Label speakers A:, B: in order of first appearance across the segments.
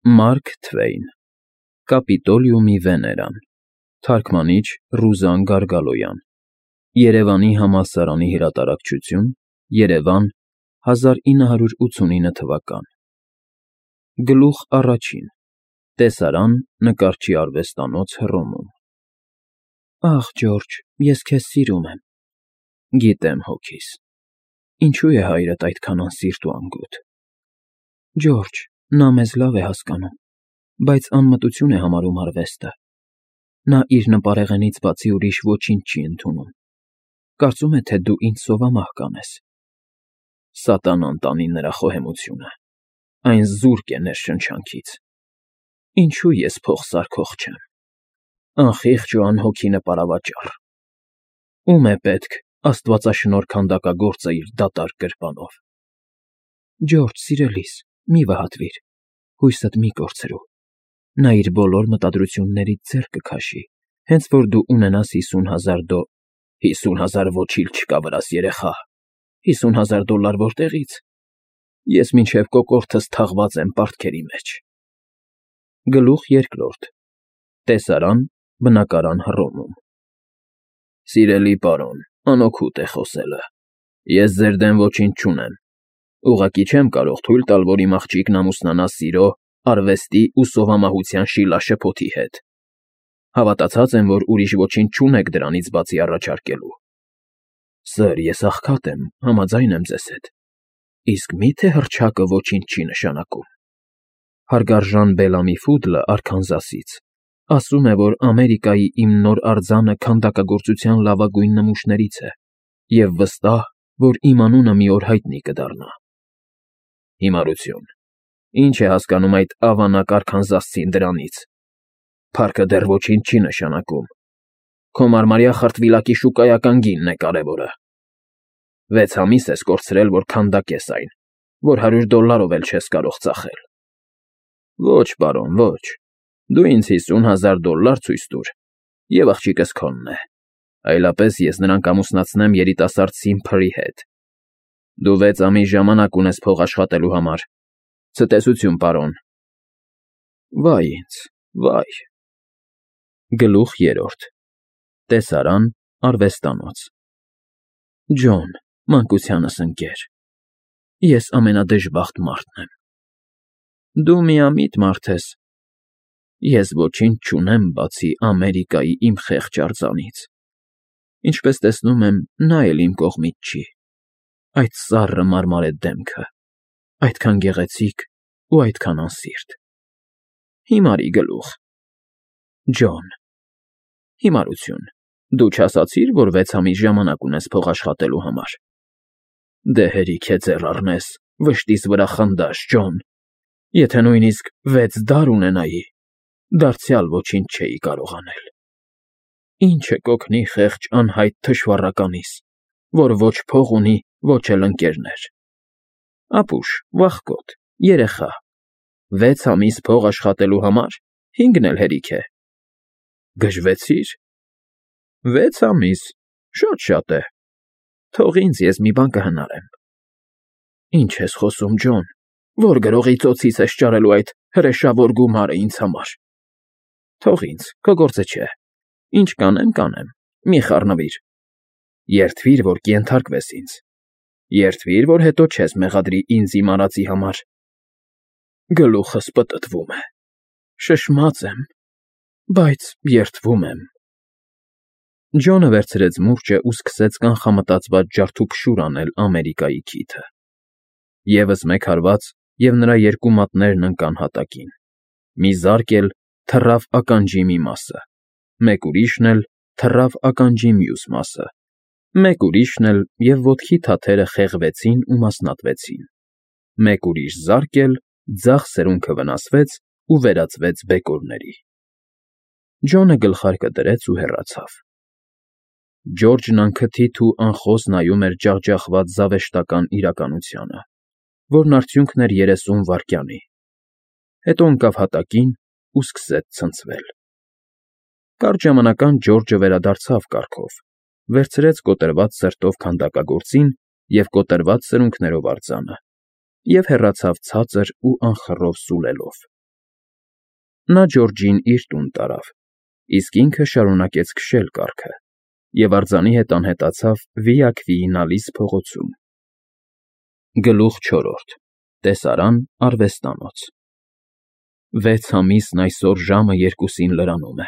A: Մարկ Թվեյն Կապիտոլիումի Վեներան Թարգմանիչ Ռուզան Գարգալոյան Երևանի համալսարանի հրատարակչություն Երևան 1989 թվական Գլուխ առաջին Տեսարան նկարչի արվեստանոց Հռոմում Ախ Ջորջ, ես քեզ սիրում եմ Գիտեմ հոգիս Ինչու է հայրդ այդքան անսիրտ ու անգութ Ջորջ, նա մեզ լավ է հասկանում, բայց անմտություն է համարում արվեստը Նա իր նպարեղենից բացի ուրիշ ոչինչ չի ընդունում Կարծում է, թե դու ինձ սովամահ կանես Սատանան տանի նրա խոհեմությունը Այն զուրկ է ներշնչանքից Ինչու ես փող սարքող չեմ Անխիղճ ու անհոգի նպարավաճառ Ո՞ւմ է պետք աստվածաշնորհ քանդակագործը իր դատարկ գրպանով Ջորջ, սիրելիս, մի վհատվիր, հույսդ մի կորցրու Նա իր բոլոր մտադրություններից ձեռ կքաշի, հենց որ դու ունենաս 50,000 50,000 ոչիլ չկա վրաս երեխա, $50,000 որտեղից, ես մինչև կոկորդս թաղված եմ պարտքերի մեջ Գլուխ երկրորդ Տեսարան բնակարան Հռոմում Սիրելի պարոն, անօգուտ է խոսելը, ես ձեր դեմ ոչինչ չունեմ, ուղղակի չեմ կարող թույլ տալ, որ իմ աղջիկն ամուսնանա սիրո, արվեստի ու սովամահության շիլաշփոթի հետ, հավատացած եմ, որ ուրիշ ոչինչ չունեք դրանից բացի առաջարկելու Սըր, ես աղքատ եմ, համաձայն եմ ձեզ հետ, իսկ մի՞թե հռչակը ոչինչ չի նշանակում Հարգարժան Բելամի Ֆուդլը Արքանզասից ասում է, որ Ամերիկայի իմ նոր արձանը քանդակագործության լավագույն նմուշներից է և վստահ, որ իմ անունը մի օր հայտնի կդառնա Հիմարություն, ինչ է հասկանում այդ ավանակ արքանզասցին դրանից Փառքը դեռ ոչինչ չի նշանակում Քո մարմարյա խրտվիլակի շուկայական գինն է կարևորը 6 ամիս ես կորցրել, որ քանդակես այն, որ $100 էլ չես կարող ծախել Ոչ, պարոն, ոչ, դու ինձ $50,000 ցույց տուր, և աղջիկս քոնն է, այլապես ես նրան կամուսնացնեմ երիտասարդ Սիմփլի հետ Դու 6 ամիս ժամանակ ունես փող աշխատելու համար, ցտեսություն, պարոն Վայ ինձ, վայ Գլուխ երրորդ Տեսարան արվեստանոց Ջոն, մանկությանս ընկեր Ես ամենադժբախտ մարդն եմ Դու միամիտ մարդ ես Ես ոչինչ չունեմ, բացի Ամերիկայի իմ խեղճ արձանից Ինչպես տեսնում եմ, նա էլ իմ կողմից չի Այդ սառը մարմարե դեմքը, այդքան գեղեցիկ ու այդքան անսիրտ Հիմարի գլուխ Ջոն Հիմարություն, դու չասացիր, որ 6 ամիս ժամանակ ունես փող աշխատելու համար Դե հերիք է ձեռ առնես, վշտիս վրա խնդաշ, Ջոն Եթե նույնիսկ 6 դար ունենայի, դարձյալ ոչինչ չէի կարող անել Ինչը կօգնի խեղճ անհայտ թշվառականիս, որ ոչ փող ունի, ոչ էլ ընկերներ Ապուշ, վախկոտ, երեխա 6 ամիս փող աշխատելու համար, 5-ն էլ հերիք է Գժվեցի՞ր 6 ամիս, շատ է Թող ինձ, ես մի բան կհնարեմ Ինչ ես խոսում, Ջոն, որ գրողի ծոցից ես ճարելու այդ հրեշավոր գումարը ինձ համար Թող ինձ, քո գործը չէ Ինչ կանեմ, մի խառնվիր Երդվիր, որ կենթարկվես ինձ Երդվիր, որ հետո չես մեղադրի ինձ իմ արածի համար Գլուխս պտտվում է Շշմած եմ, բայց երդվում եմ Ջոնը վերցրեց մուրճը ու սկսեց կանխամտածված ջարդուփշուր անել Ամերիկայի քիթը Եվս մեկ հարված, և նրա երկու մատներն ընկան հատակին Մի զարկ էլ թռավ ականջի մի մասը Մեկ ուրիշն էլ թռավ ականջի մյուս մասը Մեկ ուրիշն էլ և ոտքի թաթերը խեղվեցին ու մասնատվեցին Մեկ ուրիշ զարկ էլ ձախ սրունքը վնասվեց ու վերածվեց բեկորների Ջոնը գլխարկը դրեց ու հեռացավ Ջորջն անքթիթ ու անխոս նայում էր ջախջախված զավեշտական իրականությանը, որն արդյունքն էր 30 վայրկյանի, հետո ընկավ հատակին ու սկսեց ցնցվել։ Կարճ ժամանակ անց Ջորջը վերադարձավ կառքով, վերցրեց կոտրված սրտով քանդակագործին և կոտրված սրունքներով արձանը և հեռացավ ցածր ու անխռով սուլելով։ Նա Ջորջին իր տուն տարավ, իսկ ինքը շարունակեց քշել կառքը և արձանի հետ անհետացավ Վիակվիի Նալիս փողոցում։ Գլուխ 4. Տեսարան արվեստանոց 6 ամիսն այսօր ժամը 2-ին լրանում է։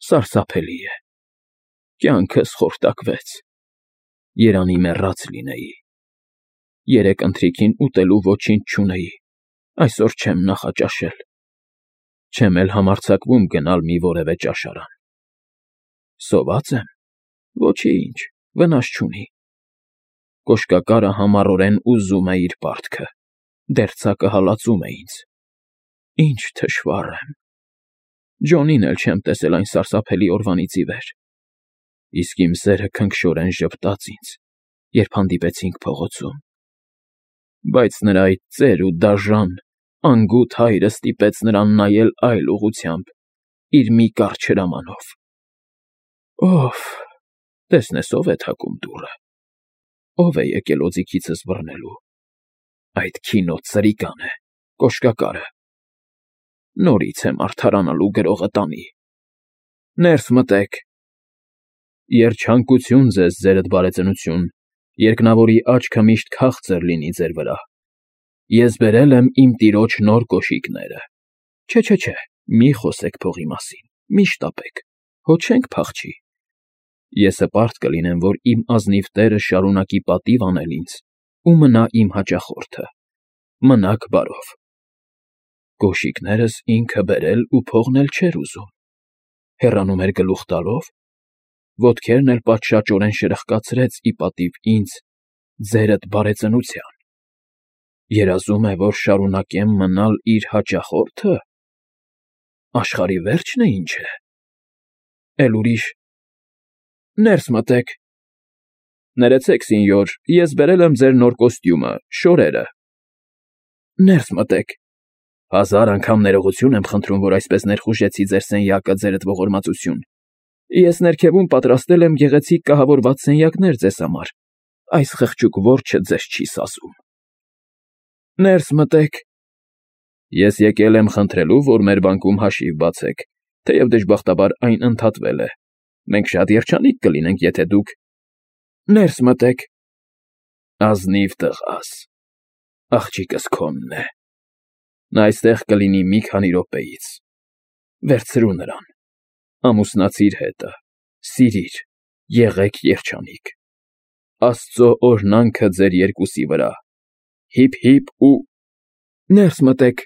A: Սարսափելի է։ Կյանքս խորտակվեց։ Երանի մեռած լինեի։ Երեկ ընթրիքին ուտելու ոչինչ չունեի, այսօր չեմ նախաճաշել։ Չեմ էլ համարձակվում գնալ մի որևէ ճաշարան։ Սոված եմ։ Ոչինչ, վնաս չունի։ Կոշկակարը համառորեն ուզում է իր պարտքը, դերձակը հալածում է ինձ։ Ինչ թշվառ եմ։ Ջոնին էլ չեմ տեսել այն սարսափելի օրվանից ի վեր։ Իսկ իմ սերը քնքշորեն ժպտաց ինձ, երբ հանդիպեցինք փողոցում։ Բայց նրա այդ ծեր ու դաժան, անգութ հայրը ստիպեց նրան նայել այլ ուղղությամբ, իր մի կարճ հրամանով։ Ո՞վ, տեսնես ով է թակում դուռը։ Ո՞վ է եկել օձիքիցս բռնելու։ Այդ քինոտ սրիկան է, կոշկակարը։ Նորից եմ արդարանալու գրողը տանի։ Ներս մտեք։ Երջանկություն ձեզ, ձերդ բարեծնություն, երկնավորի աչքը միշտ քաղցր լինի ձեր վրա։ Ես բերել եմ իմ տիրոջ նոր կոշիկները։ Չէ, մի խոսեք փողի մասին, մի շտապեք, հո չենք փախչի։ Ես հպարտ կլինեմ, որ իմ ազնիվ տերը շարունակի պատիվ անել ինձ ու մնա իմ հաճախորդը։ Մնաք բարով։ Կոշիկներս ինքը բերել ու փողն էլ չէր ուզում։ Հեռանում էր գլուխ տալով, ոտքերն էլ պատշաճորեն շրխկացրեց ի պատիվ ինձ, ձերդ բարեծնության։ Երազում է, որ շարունակեմ մնալ իր հաճախորդը։ Աշխարհի վերջն է ինչ է։ Էլ ուրիշ։ Ներս մտեք։ Ներեցեք, սենյոր, ես բերել եմ ձեր նոր կոստյումը, շորերը։ Ներս մտեք։ 1000 անգամ ներողություն եմ խնդրում, որ այսպես ներխուժեցի ձեր սենյակը, ձերդ ողորմածություն։ Ես ներքևում պատրաստել եմ գեղեցիկ կահավորված սենյակներ ձեզ համար։ Այս խղճուկ որջը ձեզ չի սազում։ Ներս մտեք։ Ես եկել եմ խնդրելու, որ մեր բանկում հաշիվ բացեք, թեև դժբախտաբար այն ընդհատվել է։ Մենք շատ երջանիկ կլինենք, եթե դուք… Ներս մտեք։ Ազնիվ տղաս, աղջիկս քոնն է։ Նա այստեղ կլինի մի քանի րոպեից։ Վերցրու նրան, ամուսնացիր հետը, սիրիր, եղեք երջանիկ։ Աստծո օրհնանքը ձեր երկուսի վրա։ Հիփ ու… Ներս մտեք։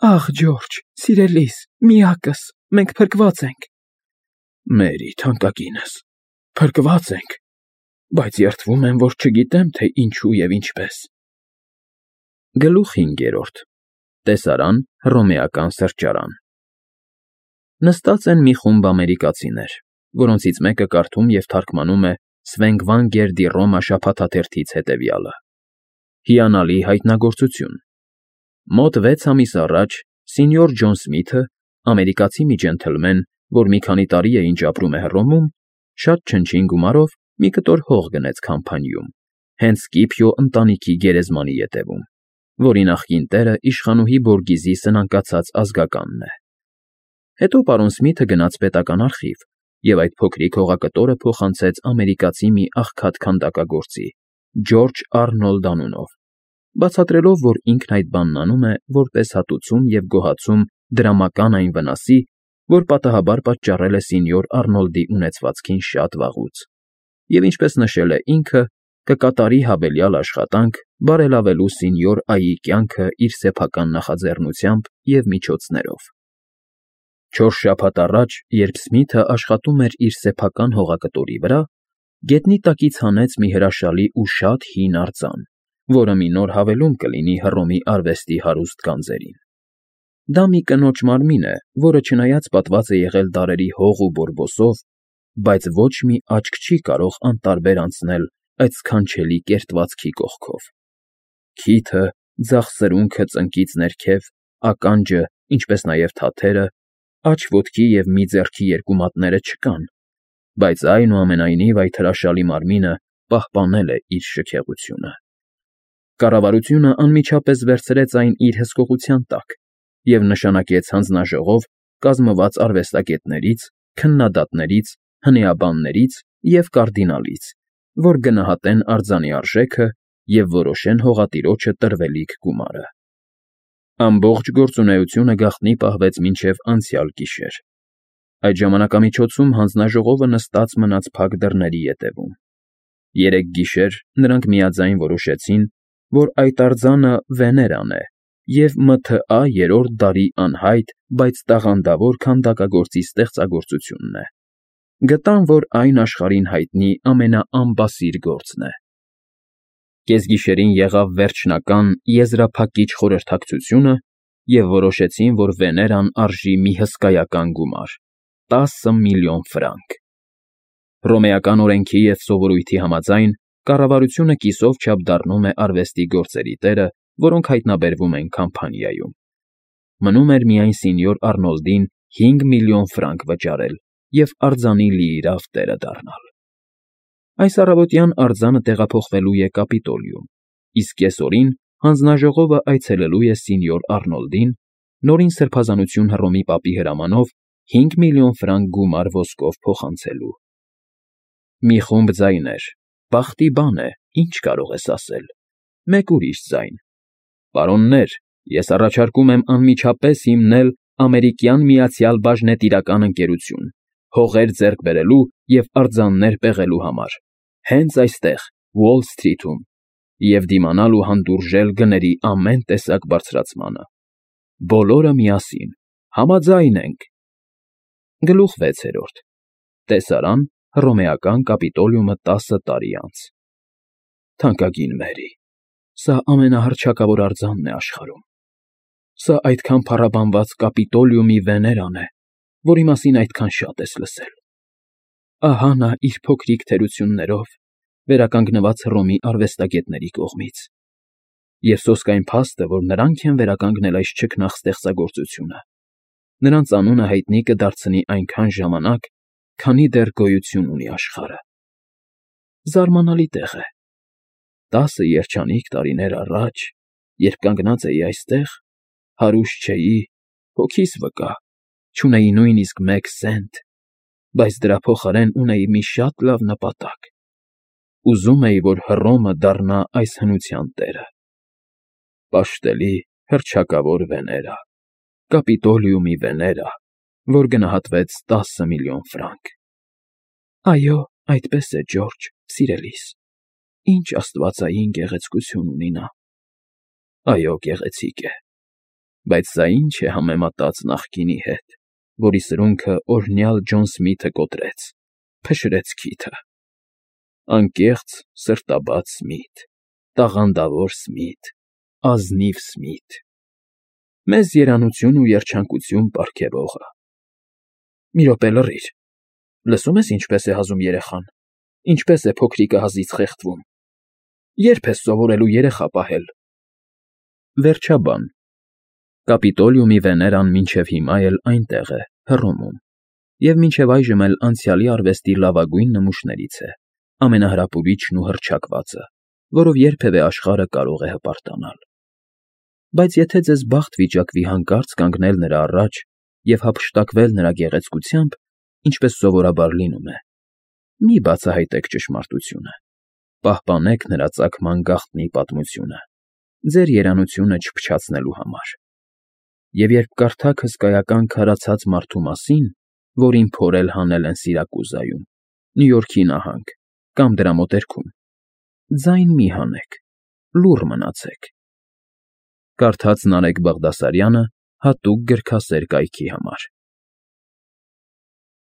A: Ախ, Ջորջ, սիրելիս, միակս, մենք փրկված ենք։ Մերի, թանկագինս, փրկված ենք, բայց երդվում եմ, որ չգիտեմ, թե ինչու և ինչպես։ Գլուխ 5. Տեսարան հռոմեական սրճարան։ Նստած են մի խումբ ամերիկացիներ, որոնցից մեկը կարդում և թարգմանում է Սվենգվանգեր դի Ռոմա շաբաթաթերթից հետևյալը։ Հիանալի հայտնագործություն։ Մոտ 6 ամիս առաջ սենյոր Ջոն Սմիթը, ամերիկացի մի ջենթլմեն, որ մի քանի տարի է ինչ ապրում է Հռոմում, շատ չնչին գումարով մի կտոր հող գնեց Քամփանիում, հենց Սկիփիո ընտանիքի գերեզմանի ետևում, որի նախկին տերը իշխանուհի Բորգիզի սնանկացած ազգականն է։ Հետո պարոն Սմիթը գնաց պետական արխիվ և այդ փոքրիկ հողակտորը փոխանցեց ամերիկացի մի աղքատ քանդակագործի, Ջորջ Արնոլդ անունով, բացատրելով, որ ինքն այդ բանն անում է որպես հատուցում և գոհացում դրամական այն վնասի, որ պատահաբար պատճառել է սենյոր Արնոլդի ունեցվածքին շատ վաղուց, և ինչպես նշել է ինքը, կկատարի հավելյալ աշխատանք բարելավելու սենյոր Այի կյանքը իր սեփական նախաձեռնությամբ և միջոցներով։ 4 շաբաթ առաջ, երբ Սմիթը աշխատում էր իր սեփական հողակտորի վրա, գետնի տակից հանեց մի հրաշալի ու շատ հին արձան, որը մի նոր հավելում կլինի Հռոմի արվեստի հարուստ գանձերին։ Դա մի կնոջ մարմին է, որը չնայած պատված է եղել դարերի հող ու բորբոսով, բայց ոչ մի աչք չի կարող անտարբեր անցնել այդ սքանչելի կերտվածքի կողքով։ Քիթը, ձախ սրունքը ծնկից ներքև, ականջը, ինչպես նաև թաթերը, աջ ոտքի և մի ձեռքի երկու մատները չկան, բայց այնուամենայնիվ այդ հրաշալի մարմինը պահպանել է իր շքեղությունը։ Կառավարությունը անմիջապես վերցրեց այն իր հսկողության տակ և նշանակեց հանձնաժողով կազմված արվեստագետներից, քննադատներից, հնեաբաններից և կարդինալից, որ գնահատեն արձանի արժեքը և որոշեն հողատիրոջը տրվելիք գումարը։ Ամբողջ գործունեությունը գաղտնի պահվեց մինչև անցյալ գիշեր։ Այդ ժամանակամիջոցում հանձնաժողովը նստած մնաց փակ դռների ետևում։ Երեկ գիշեր նրանք միաձայն որոշեցին, որ այդ արձանը Վեներան է և ՄԹԱ երրորդ դարի անհայտ, բայց տաղանդավոր քանդակագործի ստեղծագործությունն է։ Գտան, որ այն աշխարհին հայտնի ամենաանբասիր գործն է։ Կեսգիշերին եղավ վերջնական եզրափակիչ խորհրդակցությունը և որոշեցին, որ Վեներան արժի մի հսկայական գումար՝ 10 միլիոն ֆրանկ։ Հռոմեական օրենքի և սովորույթի համաձայն կառավարությունը կիսով չափ դառնում է արվեստի գործերի տերը, որոնք հայտնաբերվում են Քամփանիայում։ Մնում էր միայն սենյոր Արնոլդին 5 միլիոն ֆրանկ վճարել և արձանի լիիրավ տերը դառնալ։ Այս առավոտյան արձանը տեղափոխվելու է Կապիտոլիում, իսկ կեսօրին հանձնաժողովը այցելելու է սենյոր Արնոլդին՝ նորին սրբազանություն Հռոմի պապի հրամանով 5 միլիոն ֆրանկ գումար ոսկով փոխանցելու։ Մի խումբ ձայներ. «Բախտի բան է, ինչ կարող ես ասել»։ Մեկ ուրիշ ձայն. «Պարոններ, ես առաջարկում եմ անմիջապես հիմնել Ամերիկյան Միացյալ Բաժնետիրական ընկերություն՝ հողեր ձեռք բերելու և արձաններ պեղելու համար, հենց այստեղ, Ուոլ Սթրիթում, և դիմանալ ու հանդուրժել գների ամեն տեսակ բարձրացմանը։ Բոլորը միասին, համաձայն ենք»։ Գլուխ 6. Տեսարան Հռոմեական Կապիտոլիումը 10 տարի անց։ Թանկագին Մերի, սա ամենահռչակավոր արձանն է աշխարհում։ Սա այդքան փառաբանված Կապիտոլիումի Վեներան է, որի մասին այդքան շատ ես լսել։ Ահա նա իր փոքրիկ թերություններով, վերականգնված Հռոմի արվեստագետների կողմից։ Եվ սոսկ այն փաստը, որ նրանք են վերականգնել այս չքնաղ ստեղծագործությունը, նրանց անունը հայտնի կդարձնի այնքան ժամանակ, քանի դեռ գոյություն ունի աշխարհը։ Զարմանալի տեղ է։ 10 երջանիկ տարիներ առաջ, երբ կանգնած էի այստեղ, հարուստ չէի, հոգիս վկա, չունեի նույնիսկ 1 սենտ, բայց դրա փոխարեն ունեի մի շատ լավ նպատակ. ուզում էի, որ Հռոմը դառնա այս հնության տերը։ Պաշտելի, հռչակավոր Վեներա, Կապիտոլիումի Վեներա, որ գնահատվեց 10 միլիոն ֆրանկ։ Այո, այդպես է, Ջորջ, սիրելիս, ինչ աստվածային գեղեցկություն ունի նա։ Այո, գեղեցիկ է, բայց սա ինչ է համեմատած նախկինի հետ, որի սրունքը օրհնյալ Ջոն Սմիթը կոտրեց, փշրեց քիթը։ Անկեղծ, սրտաբաց Սմիթ, տաղանդավոր Սմիթ, ազնիվ Սմիթ, մեզ երանություն ու երջանկություն պարգևողը։ Մի րոպե, լռիր, լսում ես ինչպես է հազում երեխան, ինչպես է փոքրիկը հազիվ խեղդվում։ Ե՞րբ ես սովորելու երեխա պահել։ Վերջաբան։ Կապիտոլիումի Վեներան մինչև հիմա էլ այնտեղ է, Հռոմում, և մինչև այժմ էլ անցյալի արվեստի լավագույն նմուշներից է, ամենահրապուրիչն ու հռչակվածը, որով երբևէ աշխարհը կարող է հպարտանալ։ Բայց եթե ձեզ բախտ վիճակվի հանկարծ կանգնել նրա առաջ և հափշտակվել նրա գեղեցկությամբ, ինչպես սովորաբար լինում է, մի բացահայտեք ճշմարտությունը, պահպանեք նրա ծագման գաղտնի պատմությունը, ձեր երանությունը չփչացնելու համար։ Եվ երբ կարդաք հսկայական քարացած մարդու մասին, որին փորել հանել են Սիրակուզայում, Նյու Յորքի նահանգ կամ դրա մոտերքում, ձայն մի հանեք, լուռ մնացեք։ Կարդաց Նարեկ Բաղդասարյանը հատուկ գրքասեր կայքի համար։